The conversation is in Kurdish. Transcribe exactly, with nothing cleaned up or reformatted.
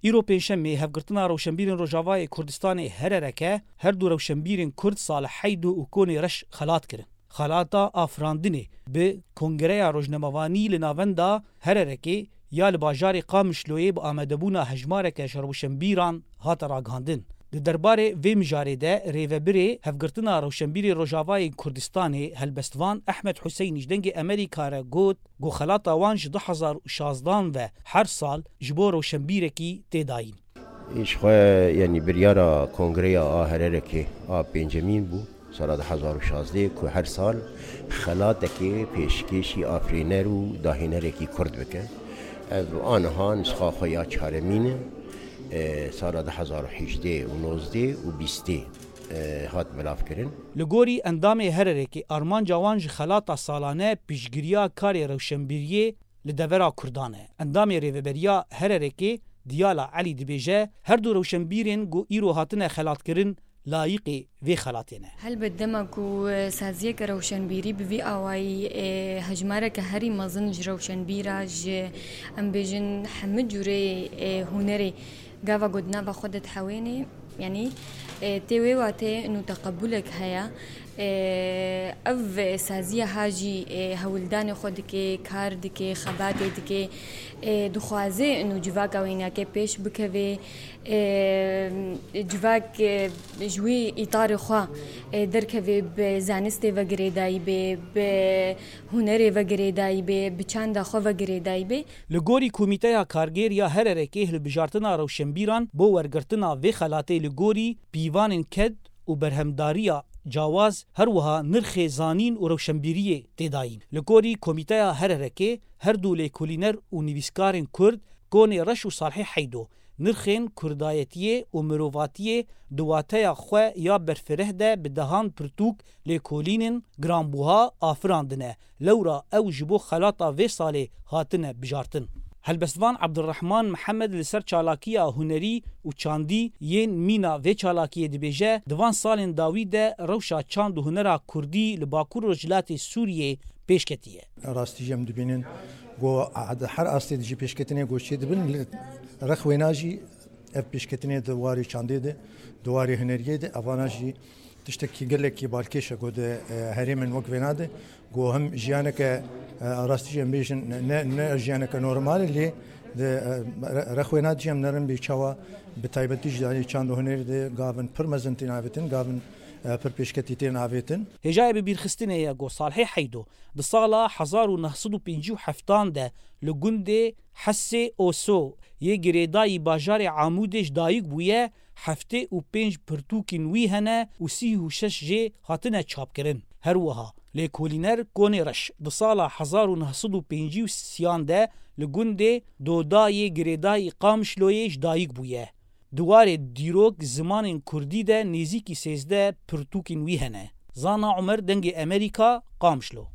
Îro pêncşemê hevgirtina rewşenbîrên Rojavayê Kurdistanê Herereke her du rewşenbîrên Kurd Salih Heydo û Konê Reş xelat kirin. Xelata afirandinê bi Kongreya Rojnamevanî li navenda Hererekê ya li bajarê Qamişloyê bi amadebûna hejmareke ji rewşenbîran hate ragihandin. Di derbarê vê mijarê de rêvebirê Hevgirtina Rewşenbîrê Rojavayê Kurdistanê Helbestvan Ehmed Huseynî ji Dengê Amerîka re got ku xelata wan ji du hezar û şazdan ve her sal ji bo rewşenbîrekî tê dayîn. Ji xwe, yanî, biryara Kongreya a Hererekê a pêncemîn bû, sala du hezar û şazdeh, ku her sal xelatekê pêşkêşî afirîner û dahînerekî Kurd bike. Ev aniha nusxa xwe ya çaremîn e, e, sala du hezar û hejdeh û nozdeh û bîstê, e, hat belavkirin. Li gorî endamê Hererekê, armanca wan ji xelata salane piştgiriya karê rewşenbîriyê li devera Kurdan e. Endamê Rêveberiya Hererekê Diyala Elî dibêje, her du rewşenbîrên ku îro hatine xelatkirin layîqê vê xelatê ne. Helbet dema ku, e, saziyeke rewşenbîrî bi vî awayî, e, hejmareke herî mezin ji rewşenbîra, ji, em bêjin, hemû cûrê, e, hunerê gava ku di nava xwe de dihewênê, yanî, e, tê wê watê nû teqebulek heye. E, ev saziya ha jî, e, hewldanê xwe dike, kar dike, xebatê dike, e, dixwaze nû civaka wênake pêş bikeve, e, civak, e, ji wî îtarê xwe, e, derkeve, bi zanistê ve girêdayî be, bi hunerê ve girêdayî be, bi çanda xwe ve girêdayî be. Li gorî Komîteya Kargêr ya Hererekê, hilbijartina rewşenbîran bo wergirtina vê xelatê li gorî pîvanên ked û berhemdariya cawaz, her wiha nirxê zanîn û rewşenbîriyê tê dayîn. Li gorî Komîteya Hererekê, her du lêkolîner û nivîskarên Kurd, Konê Reş û Salhê Heydo, nirxên kurdayetiyê û mirovatiyê di wateya xwe ya berfireh de bi dehan pirtûk lêkolînên giranbûha afirandine. Lewra ew ji bo xelata vê salê hatine bijartin. Helbestvan Abdurrahman Mihemed li ser çalakiya hunerî û çandî yên mîna vê çalakiyê dibêje, di van salên dawî de rewşa çand û hunera kurdî li Bakur Rojhilatê Sûriyê pêş ketiye. Rastî jî em dibînin ku her astê dijî pêşketinê ku çêdibin, li rex wêna jî ev pêşketinê di warê çandê de, di warê huneriyê de, evana jî tiştekî gelekî balkêş e ku di, e, herêmên wek vêna de, ku hem jiyaneke, e, rastî jî em bêjin ne, ne jiyaneke normal e, lê di, e, re-, rex wêna jî em nerin bê çawa bi taybetî ji danî çand û hunerê de gavin pir mezin tên avêtin, gavin, e, pir pêşketî tên avêtin. Hêjayê bibîrxistinê ye ku Salhê Heydo di sala hezar û neh sed û pêncî û heftan de li gundê Hesê Oso yê girêdayî bajarê Amûdê ji dayik bûye, heftê û pênc pirtûkên wî hene û sî û şeş jê hatine çapkirin. Her wiha, lêkolîner Konê Reş di sala hezar û neh sed û pêncî û sêyan de li gundê Doda yê girêdayî Qamişloyê ji dayik bûye. Di warê dîrok zimanên kurdî de nêzîkî sêzdeh pirtûkên wî hene. Zana Umer, Dengê Amerîka, Qamişlo.